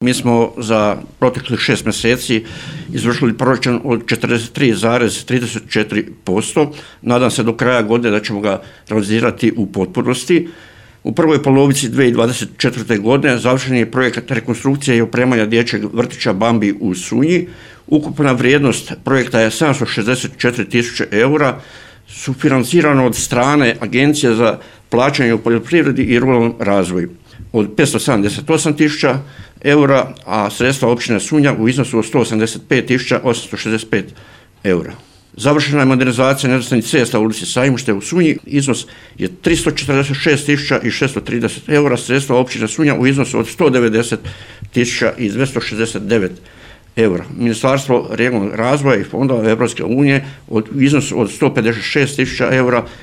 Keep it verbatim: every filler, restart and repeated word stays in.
Mi smo za proteklih šest mjeseci izvršili proračun od četrdeset tri zarez trideset četiri posto. Nadam se do kraja godine da ćemo ga realizirati u potpunosti. U prvoj polovici dvije tisuće dvadeset četvrte. godine završen je projekat rekonstrukcije i opremanja dječjeg vrtića Bambi u Sunji. Ukupna vrijednost projekta je sedamsto šezdeset četiri tisuće eura, sufinancirano od strane Agencije za plaćanje u poljoprivredi i ruralnom razvoju od petsto sedamdeset osam tisuća eura, a sredstva općine Sunja u iznosu od sto osamdeset pet tisuća osamsto šezdeset pet eura. Završena je modernizacija nerazvrstanih cesta u ulici Sajmište u Sunji, iznos je tristo četrdeset šest tisuća šesto trideset eura, sredstva općine Sunja u iznosu od sto devedeset tisuća dvjesto šezdeset devet eura. Ministarstvo regionalnog razvoja i fondova Europske unije u iznosu od sto pedeset šest tisuća eura